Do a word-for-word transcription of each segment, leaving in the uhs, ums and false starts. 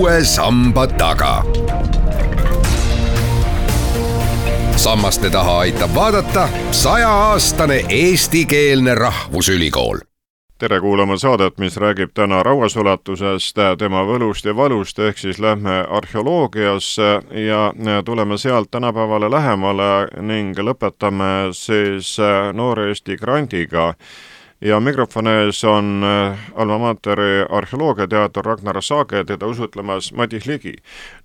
uue samba taga. Sammaste taha aitab vaadata sajaaastane eestikeelne rahvusülikool. Tere kuulama saadet, mis räägib täna rauasulatusest, tema võlust ja valust, ehk siis lähme arheoloogiasse ja tuleme sealt tänapäevale lähemale ning lõpetame siis Noore Eesti grandiga. Ja mikrofoni ees on Alma Materi arheoloogiateator Ragnar Saage, teda usutlemas Madis Ligi.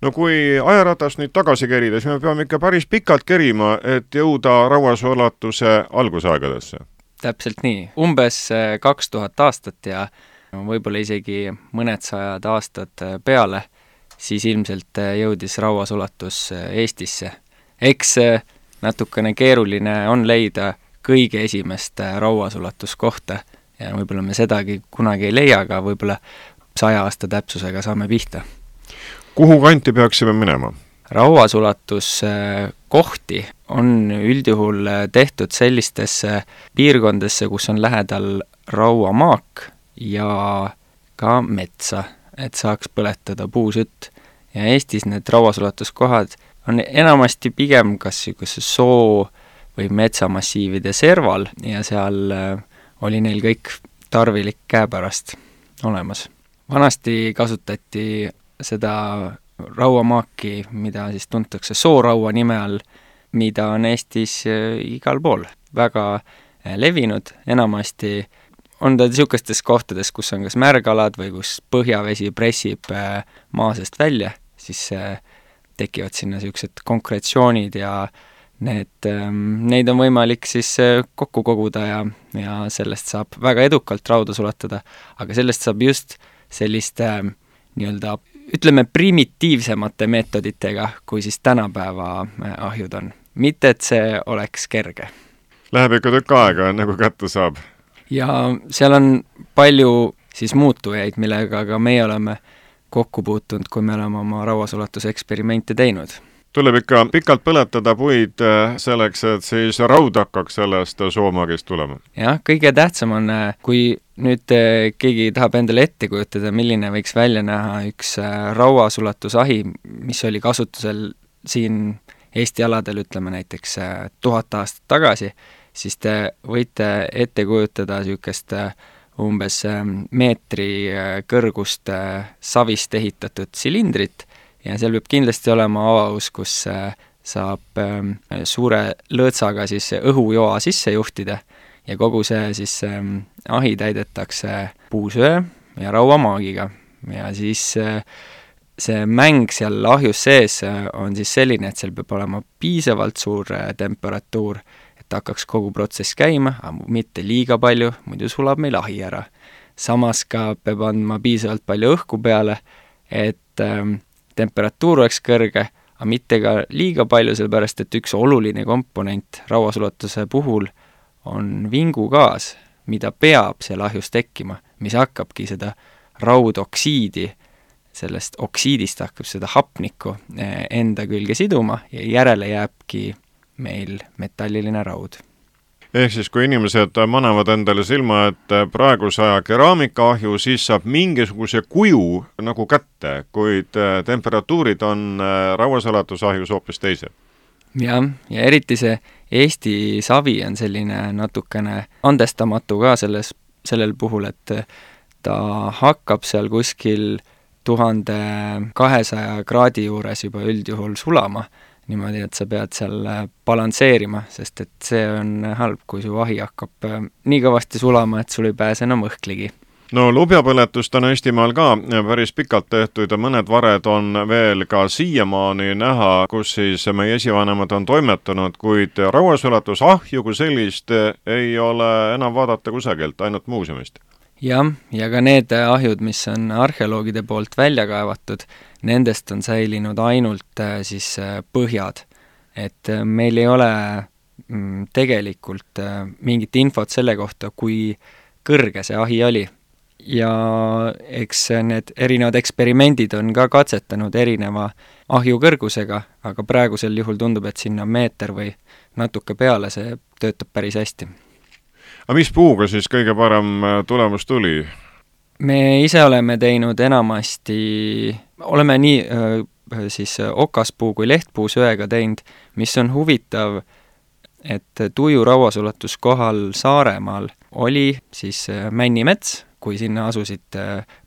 No kui ajaratast nüüd tagasi kerida, siis me peame ikka päris pikalt kerima, et jõuda rauasulatuse algusaegadesse. Täpselt nii. Umbes kaks tuhat aastat ja võib-olla isegi mõned sajad aastad peale, siis ilmselt jõudis rauasulatus Eestisse. Eks natukene keeruline on leida kõige esimest rauasulatuskohta ja võib-olla me sedagi kunagi ei leia, aga võib-olla saja aasta täpsusega saame pihta. Kuhu kanti peaksime minema? Rauasulastuskohti on üldjuhul tehtud sellistesse piirkondesse, kus on lähedal rauamaak ja ka metsa, et saaks põletada puusütt. Ja Eestis need rauasulatuskohad on enamasti pigem kas soo või metsamassiivide serval ja seal oli neil kõik tarvilik käepärast olemas. Vanasti kasutati seda rauamaaki, mida siis tuntakse sooraua nime all, mida on Eestis igal pool väga levinud. Enamasti on ta niisugustes kohtades, kus on kas märgalad või kus põhjavesi pressib maa seest välja, siis tekivad sinna niisugused konkreetsioonid ja Need, neid on võimalik siis kokku koguda ja, ja sellest saab väga edukalt rauda sulatada, aga sellest saab just selliste nii-öelda, ütleme, primitiivsemate meetoditega, kui siis tänapäeva ahjud on. Mitte, et see oleks kerge. Läheb ikka tükk aega, nagu kätte saab. Ja seal on palju siis muutujaid, millega ka meie oleme kokku puutunud, kui me oleme oma rauasulatuseksperimente teinud. Tuleb ikka pikalt põletada puid selleks, et siis raud hakkaks sellest soomagist tulema. Jah, kõige tähtsam on, kui nüüd keegi tahab endale ette kujutada, milline võiks välja näha üks rauasulatusahi, mis oli kasutusel siin Eesti aladel, ütleme näiteks tuhat aastat tagasi, siis te võite ette kujutada niisugust umbes meetri kõrgust savist ehitatud silindrit, ja seal võib kindlasti olema avaus, kus saab suure lõõtsaga siis õhujoa sisse juhtida ja kogu see siis ahi täidetakse puusöö ja rauamaagiga. Ja siis see mäng seal ahjus sees on siis selline, et seal peab olema piisavalt suur temperatuur, et hakkaks kogu protsess käima, aga mitte liiga palju, muidu sulab meil ahi ära. Samas ka peab andma piisavalt palju õhku peale, et temperatuur oleks kõrge, aga mitte ka liiga palju, sellepärast et üks oluline komponent rauasulatuse puhul on vingugaas, mida peab seal ahjus tekkima, mis hakkabki seda raudoksiidi, sellest oksiidist hakkab seda hapnikku enda külge siduma ja järele jääbki meil metalliline raud. Ehk siis, kui inimesed manavad endale silma, et praeguse aja keraamikaahju, siis saab mingisuguse kuju nagu kätte, kuid temperatuurid on rauasulatusahjus hoopis teised. Jah, ja eriti see Eesti savi on selline natukene andestamatu ka selles, sellel puhul, et ta hakkab seal kuskil tuhande kahesaja kraadi juures juba üldjuhul sulama, niimoodi, et sa pead seal balansseerima, sest et see on halb, kui su ahi hakkab nii kõvasti sulama, et sul ei pääse enam õhkligi. No lubjapõletust on Eestimaal ka päris pikalt tehtud ja mõned vared on veel ka siiamaani näha, kus siis meie esivanemad on toimetanud, kuid rauasulatusahju kui sellist ei ole enam vaadata kusagilt, ainult muuseumist. Jah, ja ka need ahjud, mis on arheoloogide poolt välja kaevatud, nendest on säilinud ainult siis põhjad. Et meil ei ole tegelikult mingit infot selle kohta, kui kõrge see ahi oli. Ja eks need erinevad eksperimendid on ka katsetanud erineva ahju kõrgusega, aga praegusel juhul tundub, et sinna meeter või natuke peale see töötab päris hästi. Aga mis puuga siis kõige parem tulemus tuli? Me ise oleme teinud enamasti oleme nii siis okaspuu kui lehtpuu söega teinud, mis on huvitav, et Tuju rauasulatuskohal Saaremaal oli siis männimets, kui sinna asusid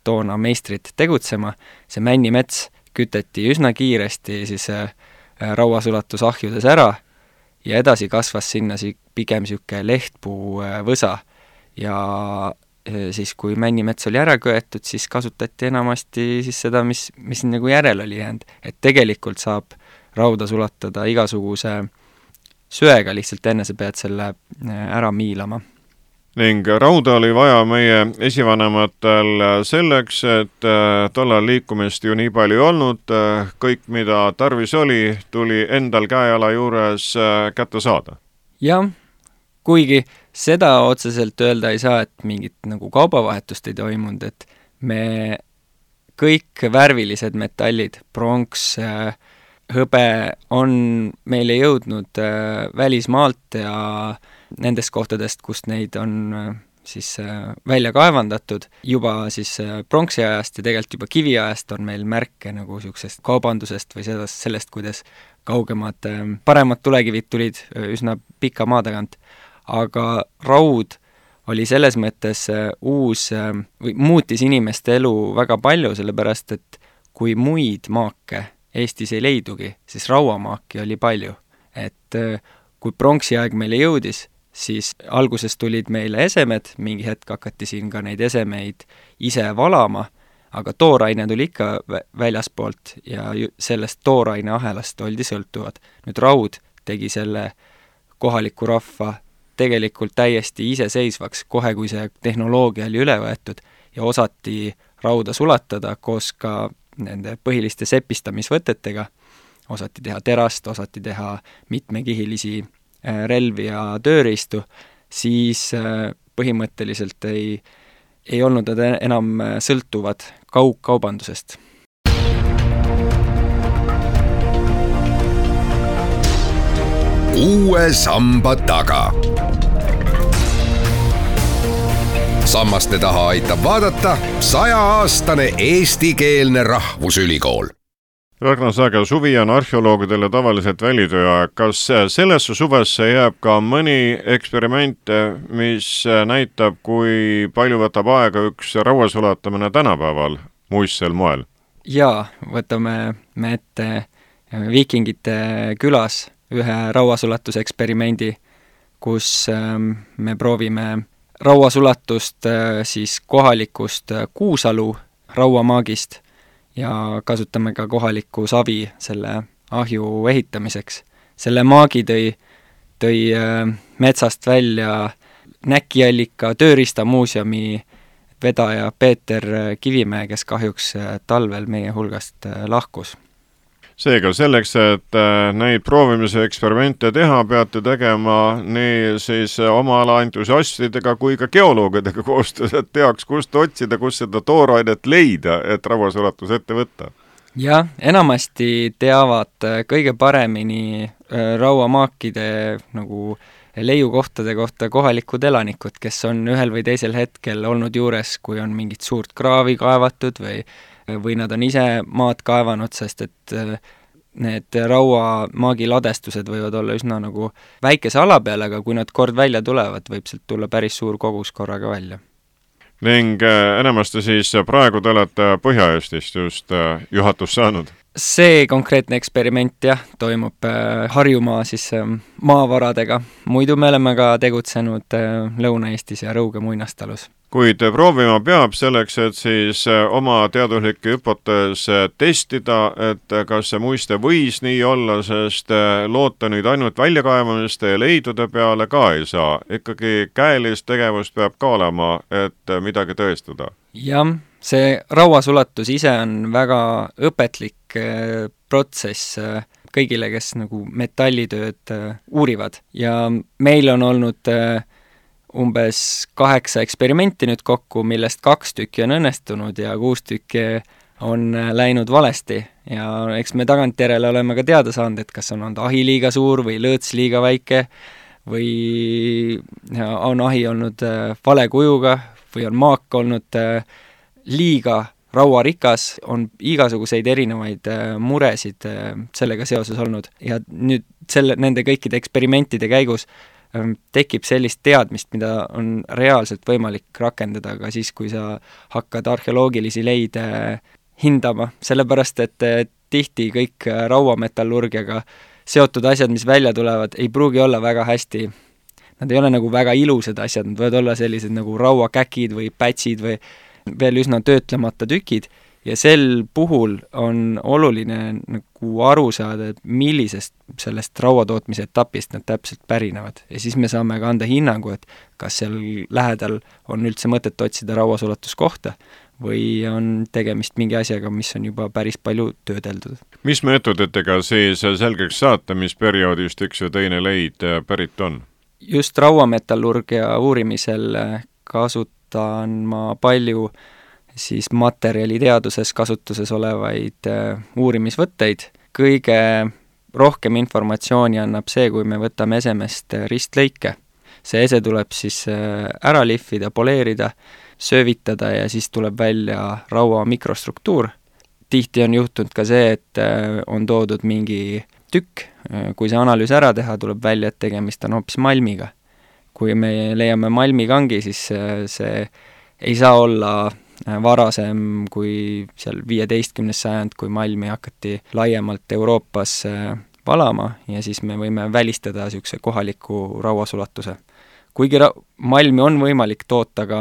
toona meistrid tegutsema. See männimets küteti üsna kiiresti siis rauasulatusahjudes ära ja edasi kasvas sinna pigem siuke lehtpuu võsa. Ja siis kui männimets oli ära köetud, siis kasutati enamasti siis seda, mis, mis nagu järel oli jäänud. Et tegelikult saab rauda sulatada igasuguse söega, lihtsalt enne sa pead selle ära miilama. Ning rauda oli vaja meie esivanematel selleks, et tollal liikumist ju nii palju ei olnud, kõik mida tarvis oli, tuli endal käeala juures kätte saada. Jah, kuigi seda otseselt öelda ei saa, et mingit nagu kaubavahetust ei toimunud, et me kõik värvilised metallid, pronks, hõbe on meile jõudnud välismaalt ja nendest kohtadest, kust neid on siis välja kaevandatud. Juba siis pronksi ajast ja tegelikult juba kiviajast on meil märke nagu siuksest kaubandusest või sellest, sellest kuidas kaugemad, paremad tulekivid tulid üsna pika maa tagant. Aga raud oli selles mõttes uus või muutis inimeste elu väga palju, sellepärast et kui muid maake Eestis ei leidugi, siis rauamaaki oli palju. Et kui pronksi aeg meile jõudis, siis alguses tulid meile esemed, mingi hetk hakati siin ka neid esemeid ise valama, aga tooraine tuli ikka väljaspoolt ja sellest tooraine ahelast oldi sõltuvad. Nüüd raud tegi selle kohaliku rahva tegelikult täiesti iseseisvaks, kohe kui see tehnoloogia oli üle võetud ja osati rauda sulatada koos ka nende põhiliste sepistamisvõtetega. Osati teha terast, osati teha mitmekihilisi relvi ja tööriistu, siis põhimõtteliselt ei, ei olnud nad enam sõltuvad kaugkaubandusest. Uue samba taga. Sammaste taha aitab vaadata sajaaastane eestikeelne rahvusülikool. Ragnar Saage, suvi on arheoloogidele tavaliselt välitööaeg. Kas sellesse suvesse jääb ka mõni eksperiment, mis näitab, kui palju võtab aega üks rauasulatamine tänapäeval muistsel moel? Jaa, võtame me ette Viikingite külas ühe rauasulatuseksperimendi, kus me proovime rauasulatust siis kohalikust Kuusalu rauamaagist ja kasutame ka kohalikku savi selle ahju ehitamiseks. Selle maagi tõi, tõi metsast välja Näkiallika tööriistamuuseumi vedaja Peeter Kivimäe, kes kahjuks talvel meie hulgast lahkus. Seega selleks, et neid proovimise eksperimente teha, peate tegema nii siis oma ala entusiastidega kui ka geoloogidega koostöös, et teaks, kust otsida, kus seda toorainet leida, et rauasulatus ette võtta. Jah, enamasti teavad kõige paremini rauamaakide nagu leiukohtade kohta kohalikud elanikud, kes on ühel või teisel hetkel olnud juures, kui on mingit suurt kraavi kaevatud või või nad on ise maad kaevanud, sest et need rauamaagi ladestused võivad olla üsna nagu väikese ala peal, aga kui nad kord välja tulevad, võib sealt tulla päris suur kogus korraga välja. Ning enamasti siis praegu te olete Põhja-Eestist just juhatus saanud? See konkreetne eksperiment jah, toimub Harjumaa siis maavaradega. Muidu me oleme ka tegutsenud Lõuna-Eestis ja Rõuge muinastalus. Kuid proovima peab selleks, et siis oma teaduslikke hüpotees testida, et kas see muiste võis nii olla, sest loota nüüd ainult väljakaevamiste ja leidude peale ka ei saa. Ikkagi käelist tegevust peab ka olema, et midagi tõestada. Jah, see rauasulatus ise on väga õpetlik protsess kõigile, kes nagu metallitööd uurivad. Ja meil on olnud umbes kaheksa eksperimenti nüüd kokku, millest kaks tükki on õnnestunud ja kuus tükki on läinud valesti. Ja eks me tagantjärele oleme ka teada saanud, et kas on olnud ahi liiga suur või lõõts liiga väike või on ahi olnud vale kujuga või on maak olnud liiga rauarikas, on igasuguseid erinevaid muresid sellega seoses olnud ja nüüd selle, nende kõikide eksperimentide käigus tekib sellist teadmist, mida on reaalselt võimalik rakendada ka siis, kui sa hakkad arheoloogilisi leide hindama, sellepärast et tihti kõik rauametallurgiaga seotud asjad, mis välja tulevad, ei pruugi olla väga hästi, nad ei ole nagu väga ilusad asjad, nad võivad olla sellised nagu rauakäkid või pätsid või veel üsna töötlemata tükid ja sel puhul on oluline nagu aru saada, et millisest sellest rauatootmise etapist nad täpselt pärinevad. Ja siis me saame ka anda hinnangu, et kas seal lähedal on üldse mõtet otsida rauasulatuskohta või on tegemist mingi asjaga, mis on juba päris palju töödeldud. Mis meetoditega siis selgeks saata, mis perioodist üks ja teine leid pärit on? Just rauametallurgia uurimisel kasutan ma palju siis materjaliteaduses kasutuses olevaid uurimisvõtteid. Kõige rohkem informatsiooni annab see, kui me võtame esemest ristlõike. See ese tuleb siis ära lihvida, poleerida, söövitada ja siis tuleb välja raua mikrostruktuur. Tihti on juhtunud ka see, et on toodud mingi tükk. Kui see analüüs ära teha, tuleb välja, et tegemist on hoopis malmiga. Kui me leiame malmikangi, siis see ei saa olla varasem kui seal viieteistkümnes sajand, kui malmi hakati laiemalt Euroopas valama ja siis me võime välistada niisuguse kohaliku rauasulatuse. Kuigi ra- malmi on võimalik toota ka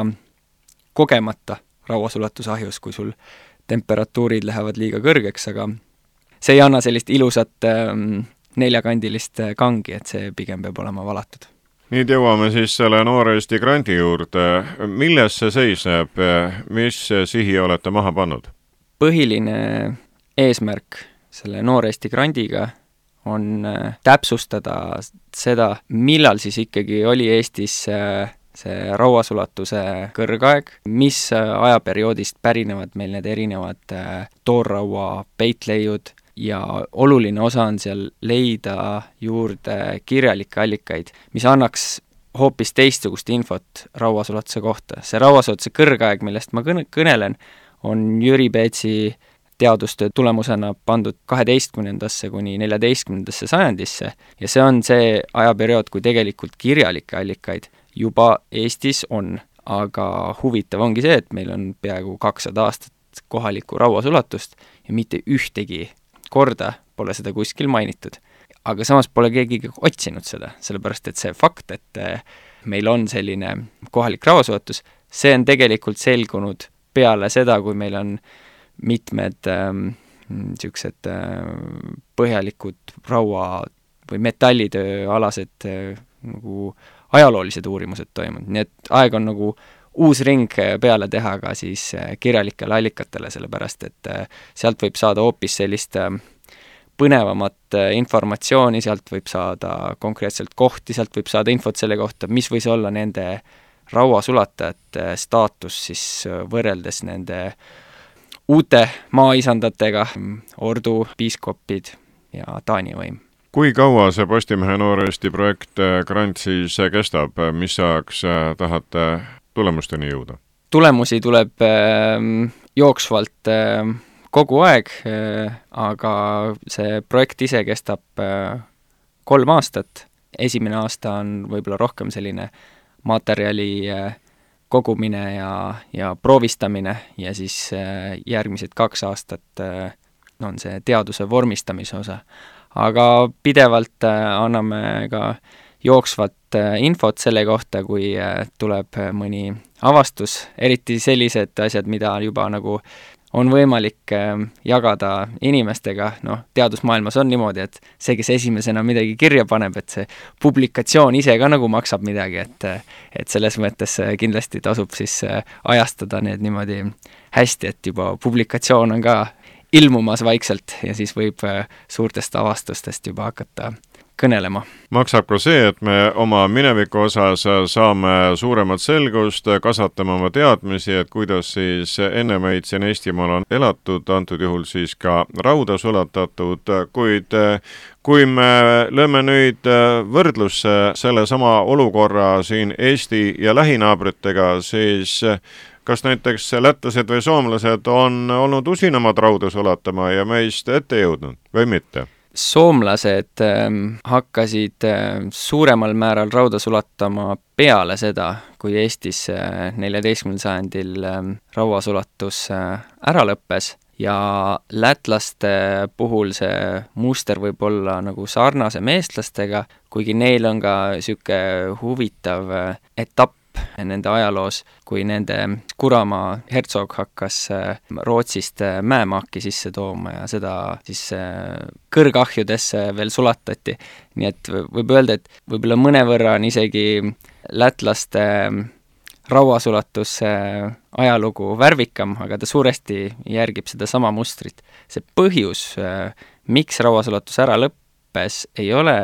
kogemata rauasulatusahjus, kui sul temperatuurid lähevad liiga kõrgeks, aga see ei anna sellist ilusat ähm, neljakandilist kangi, et see pigem peab olema valatud. Nüüd jõuame siis selle Noor Eesti grandi juurde. Milles see seisneb? Mis sihi olete maha pannud? Põhiline eesmärk selle Noor Eesti grandiga on täpsustada seda, millal siis ikkagi oli Eestis see rauasulatuse kõrgaeg, mis ajaperioodist pärinevad meil need erinevad toorraua peitleiud ja oluline osa on seal leida juurde kirjalikke allikaid, mis annaks hoopis teistsugust infot rauasulatuse kohta. See rauasulatuse kõrgaeg, millest ma kõnelen, on Jüri Peetsi teadustöö tulemusena pandud kaheteistkümnendasse kuni neljateistkümnendasse sajandisse ja see on see ajaperiood, kui tegelikult kirjalikke allikaid juba Eestis on, aga huvitav ongi see, et meil on peaaegu kakssada aastat kohalikku rauasulatust ja mitte ühtegi korda pole seda kuskil mainitud. Aga samas pole keegi otsinud seda, sellepärast et see fakt, et meil on selline kohalik rauasulatus, see on tegelikult selgunud peale seda, kui meil on mitmed niisugused ähm, põhjalikud raua või metallitöö alased äh, nagu ajaloolised uurimused toimunud. Nii et aeg on nagu uus ring peale teha ka siis kirjalikele allikatele, sellepärast et sealt võib saada hoopis sellist põnevamat informatsiooni, sealt võib saada konkreetselt kohti, sealt võib saada infot selle kohta, mis võis olla nende rauasulatajate staatus siis võrreldes nende uute maaisandatega, ordu, piiskopid ja Taani võim. Kui kaua see Postimehe Noor Eesti projekt grant siis kestab, mis ajaks tahate tulemusteni jõuda? Tulemusi tuleb äh, jooksvalt äh, kogu aeg, äh, aga see projekt ise kestab äh, kolm aastat. Esimene aasta on võib-olla rohkem selline materjali äh, kogumine ja, ja proovistamine ja siis äh, järgmised kaks aastat äh, on see teaduse vormistamise osa. Aga pidevalt äh, anname ka jooksvat äh, infot selle kohta, kui äh, tuleb mõni avastus, eriti sellised asjad, mida juba nagu on võimalik äh, jagada inimestega. Noh, teadusmaailmas on niimoodi, et see, kes esimesena midagi kirja paneb, et see publikatsioon ise ka nagu maksab midagi, et, et selles mõttes kindlasti tasub siis ajastada need niimoodi hästi, et juba publikatsioon on ka ilmumas vaikselt ja siis võib suurtest avastustest juba hakata kõnelema. Maksab ka see, et me oma mineviku osas saame suuremat selgust, kasvatame oma teadmisi, et kuidas siis enne meid siin Eestimaal on elatud, antud juhul siis ka rauda sulatatud, kuid kui me lööme nüüd võrdlusse selle sama olukorra siin Eesti ja lähinaabritega, siis kas näiteks lätlased või soomlased on olnud usinamad rauda sulatama ja meist ette jõudnud või mitte? Soomlased ähm, hakkasid äh, suuremal määral rauda sulatama peale seda, kui Eestis äh, neljateistkümnendal sajandil äh, rauasulatus äh, ära lõppes ja lätlaste puhul see muster võib olla nagu sarnasem eestlastega, kuigi neil on ka siuke huvitav äh, etapp nende ajaloos, kui nende Kuramaa hertsog hakkas Rootsist mäemaaki sisse tooma ja seda siis kõrgahjudesse veel sulatati. Nii et võib öelda, et võib-olla mõnevõrra on isegi lätlaste rauasulatus ajalugu värvikam, aga ta suuresti järgib seda sama mustrit. See põhjus, miks rauasulatus ära lõppes, ei ole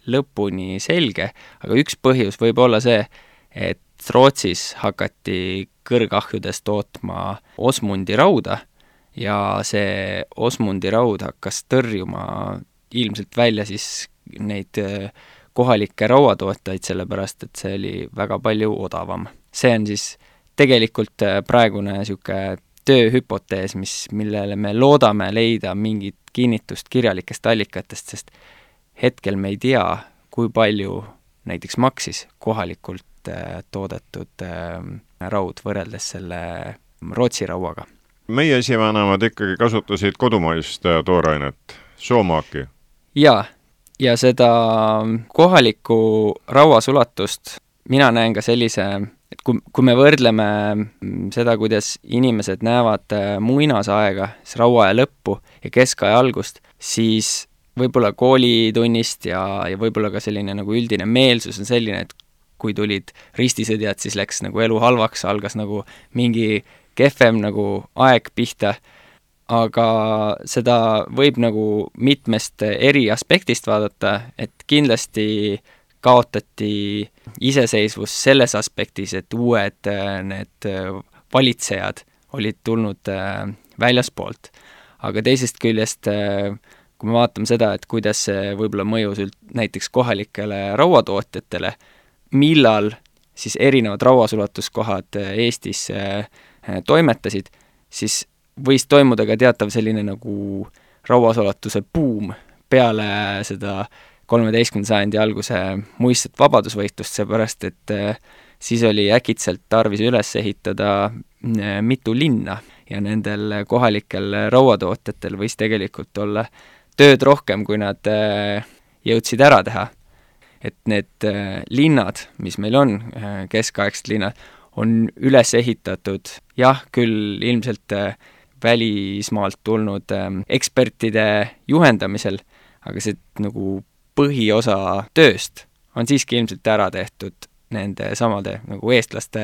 lõpuni selge, aga üks põhjus võib olla see, et Rootsis hakati kõrgahjudes tootma Osmundi rauda ja see Osmundi raud hakkas tõrjuma ilmselt välja siis neid kohalikke rauatootjaid, sellepärast et see oli väga palju odavam. See on siis tegelikult praegune siuke tööhüpotees, mis, millele me loodame leida mingit kinnitust kirjalikest allikatest, sest hetkel me ei tea, kui palju näiteks maksis kohalikult toodetud raud võrreldes selle Rootsi rauaga. Meie esivanemad ikkagi kasutasid kodumaist toorainet, soomaaki. Jaa, ja seda kohalikku rauasulatust mina näen ka sellise, et kui, kui me võrdleme seda, kuidas inimesed näevad muinasaega, siis rauaaja lõppu ja keskaja algust, siis võib-olla koolitunnist ja, ja võib-olla ka selline nagu üldine meelsus on selline, et kui tulid ristisõdjad, siis läks nagu elu halvaks, algas nagu mingi kehvem nagu aeg pihta, aga seda võib nagu mitmest eri aspektist vaadata, et kindlasti kaotati iseseisvus selles aspektis, et uued need valitsejad olid tulnud väljaspoolt. Aga teisest küljest, kui me vaatame seda, et kuidas see võib-olla mõjus näiteks kohalikele rauatootjatele, millal siis erinevad rauasulatuskohad Eestis toimetasid, siis võis toimuda ka teatav selline nagu rauasulatuse buum peale seda kolmeteistkümnenda sajandi alguse muistset vabadusvõitlust, seepärast et siis oli äkitselt tarvis üles ehitada mitu linna ja nendel kohalikel rauatootjatel võis tegelikult olla tööd rohkem, kui nad jõudsid ära teha. Et need linnad, mis meil on, keskaegsed linnad, on üles ehitatud, jah, küll ilmselt välismaalt tulnud ekspertide juhendamisel, aga see nagu põhiosa tööst on siiski ilmselt ära tehtud nende samade nagu eestlaste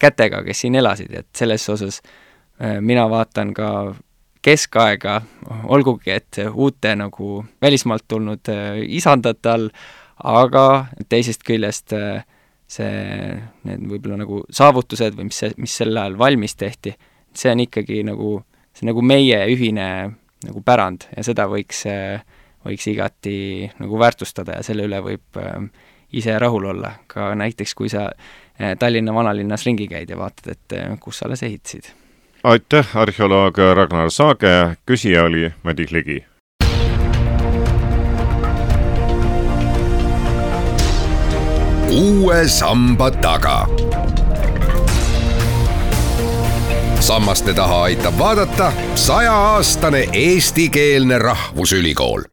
kätega, kes siin elasid, et selles osas mina vaatan ka keskaega, olgugi, et uute nagu välismaalt tulnud isandate all, aga teisest küljest see, need võib-olla nagu saavutused või mis, mis sel ajal valmis tehti, see on ikkagi nagu, see nagu meie ühine nagu pärand ja seda võiks, võiks igati nagu väärtustada ja selle üle võib ise rahul olla. Ka näiteks, kui sa Tallinna vanalinnas ringi käid ja vaatad, et kus sa alles ehitasid. Aitäh, arheoloog Ragnar Saage, küsija oli Madis Ligi. Uue samba taga. Sammaste taha aitab vaadata sajaaastane eestikeelne rahvusülikool.